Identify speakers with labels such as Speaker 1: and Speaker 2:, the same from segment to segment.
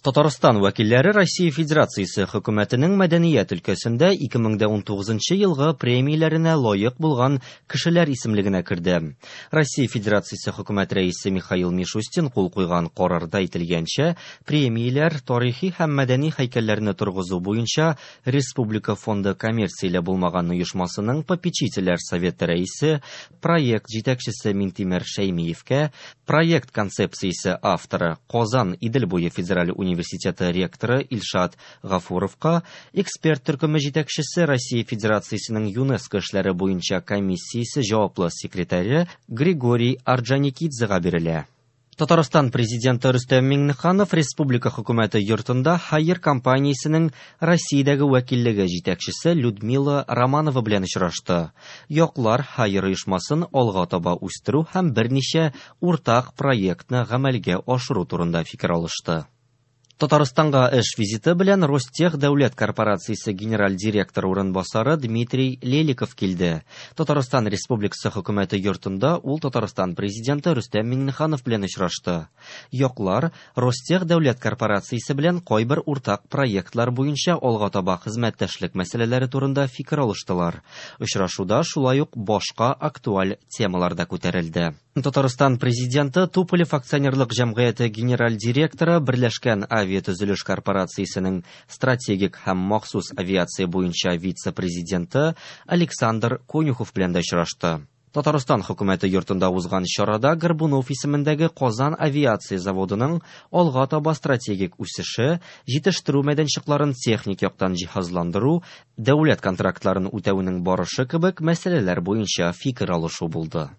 Speaker 1: Татарстан вәкилләре Россия Федерациясе Хөкүмәтенең мәдәният өлкәсендә 2019 елгы премияләренә лаек булган кешеләр исемлегенә керде. Россия Федерациясе Хөкүмәт Рәисе Михаил Мишустин кул куйган карарда әйтелгәнчә, премияләр тарихи һәм мәдәни һәйкәлләрне торгызу буенча Республика фонды коммерцияле булмаган оешмасының попечительләр советы рәисе, проект җитәкчесе Минтимер Шәймиевкә, проект концепциясе авторы Казан Идел буе федераль университеты ректоры Илшат Гафуровка, эксперт төркеме җитәкчесе Россия Федерациясенең ЮНЕСКО эшләре буенча комиссиясе җаваплы секретаре Григорий Орджоникидзега бирелә. Татарстан президенты Рөстәм Миңнеханов республика хөкүмәте йортында Haier компаниясенең Россиядәге вәкиллеге җитәкчесе Людмила Романова белән очрашты. Яклар Haier оешмасын алга таба үстерү һәм берничә уртак проектны гамәлгә ашыру турында фикер алышты. Татарстанга эш визиты белән Ростех дәүләт корпорациясе генераль директоры урынбасары Дмитрий Леликов килде. Татарстан Республикасы хөкүмәте йортында ул Татарстан президенты Рөстәм Миңнеханов белән очрашты. Яклар Ростех дәүләт корпорациясе белән кайбер уртак проектлар буенча алга таба хезмәттәшлек мәсьәләләре турында фикер алыштылар. Очрашуда шулай ук башка актуаль темалар да күтәрелде. Татарстан президенты Туполев акционерлык җәмгыяте генераль директоры Берләшкән авиатөзелеш корпорациясенең стратегик һәм махсус авиация буенча вице-президенты Александр Конюхов белән дә очрашты. Татарстан хөкүмәте йортында узган чарада Горбунов исемендәге Казан авиация заводының алга таба стратегик үсеше, җитештерү мәйданчыкларын техник яктан җиһазландыру, дәүләт контрактларын үтәүнең барышы кебек мәсьәләләр буенча фикер алышу булды.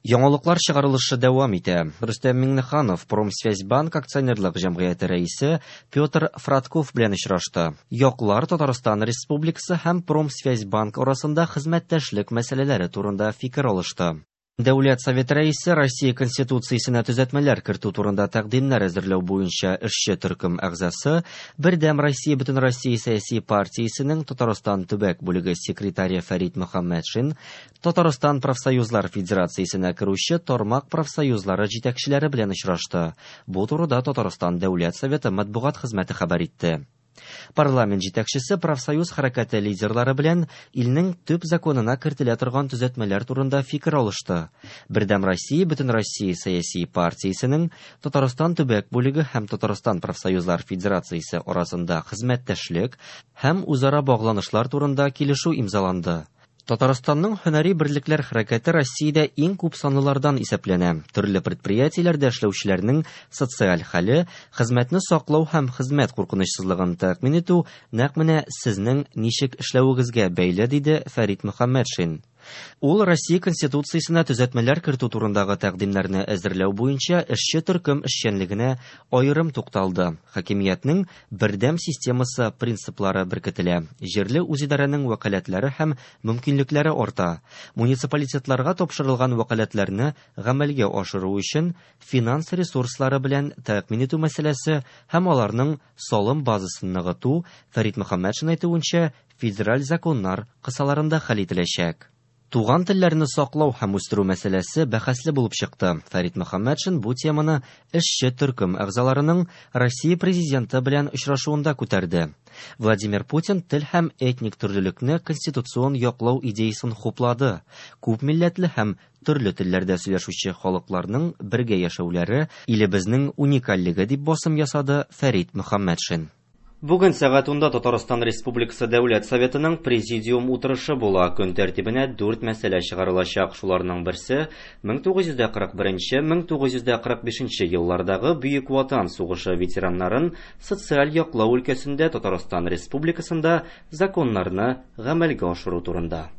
Speaker 1: Яңалыклар чыгарылышы дәвам итә. Рөстәм Миңнеханов Промсвязьбанк акционерлык җәмгыяте рәисе Петр Фратков белән очрашты. Яклар Татарстан Республикасы һәм Промсвязьбанк арасында хезмәттәшлек мәсьәләләре турында фикер алышты. Дәүләт Советы рәисе Россия Конституциясенә төзәтмәләр кертү турында тәкъдимнәр әзерләү буенча эшче төркем әгъзасы, Бердәм Россия Бөтенроссия сәяси партиясенең Татарстан төбәк бүлеге секретаре Фәрит Мөхәммәтшин Татарстан профсоюзлар федерациясенә керүче тармак профсоюзлары җитәкчеләре белән очрашты. Бу турыда Татарстан Дәүләт Советы матбугат хезмәте хәбәр итте. Парламент җитәкчесе профсоюз хәрәкәте лидерлары белән илнең төп законына кертелә торган төзәтмәләр турында фикер алышты. Бердәм Россия Бөтенроссия сәяси партиясенең Татарстан төбәк бүлеге һәм Татарстан профсоюзлар федерациясе арасында хезмәттәшлек һәм үзара багланышлар турында килешү имзаланды. Татарстанның һөнәри берлекләр хәрәкәте Россиядә иң күп санлылардан исәпләнә. Төрле предприятиеләрдә эшләүчеләрнең социаль хәле, хезмәтне саклау һәм хезмәт куркынычсызлыгын тәэмин итү нәкъ менә сезнең ничек эшләвегезгә бәйле, диде Фәрит Мөхәммәтшин. Ул Россия Конституциясенә төзәтмәләр кертү турындагы тәкъдимнәрне әзерләү буенча эшче төркем эшчәнлегенә аерым тукталды. Хакимиятнең бердәм системасы принциплары беркетелә. Җирле үзидарәнең вәкаләтләре һәм мөмкинлекләре арта. Муниципалитетларга тапшырылган вәкаләтләрне гамәлгә ашыру өчен финанс ресурслары белән тәэмин итү мәсьәләсе һәм аларның салым базасын ныгыту, Фәрит Мөхәммәтшин әйтүенчә, федераль законнар кысаларында хәл ителәчәк. Туган телләрне саклау һәм үстерү мәсьәләсе бәхәсле булып чыкты. Фәрит Мөхәммәтшин бу теманы эшче төркем әгъзаларының Россия президенты белән очрашуында күтәрде. Владимир Путин тел һәм этник төрлелекне конституцион яклау идеясын хуплады. Күп милләтле һәм төрле телләрдә сөйләшүче халыкларның бергә яшәүләре илебезнең уникальлеге дип басым ясады Фәрит Мөхәммәтшин. Бүген сәгать 10-да Татарстан Республикасы Дәүләт Советының президиум утырышы була. Көн тәртибенә 4 мәсьәлә чыгарылачак. Шуларның берсе 1941-1945 еллардагы Бөек Ватан сугышы ветераннарын социаль яклау өлкәсендә Татарстан Республикасында законнарны гамәлгә ашыру турында.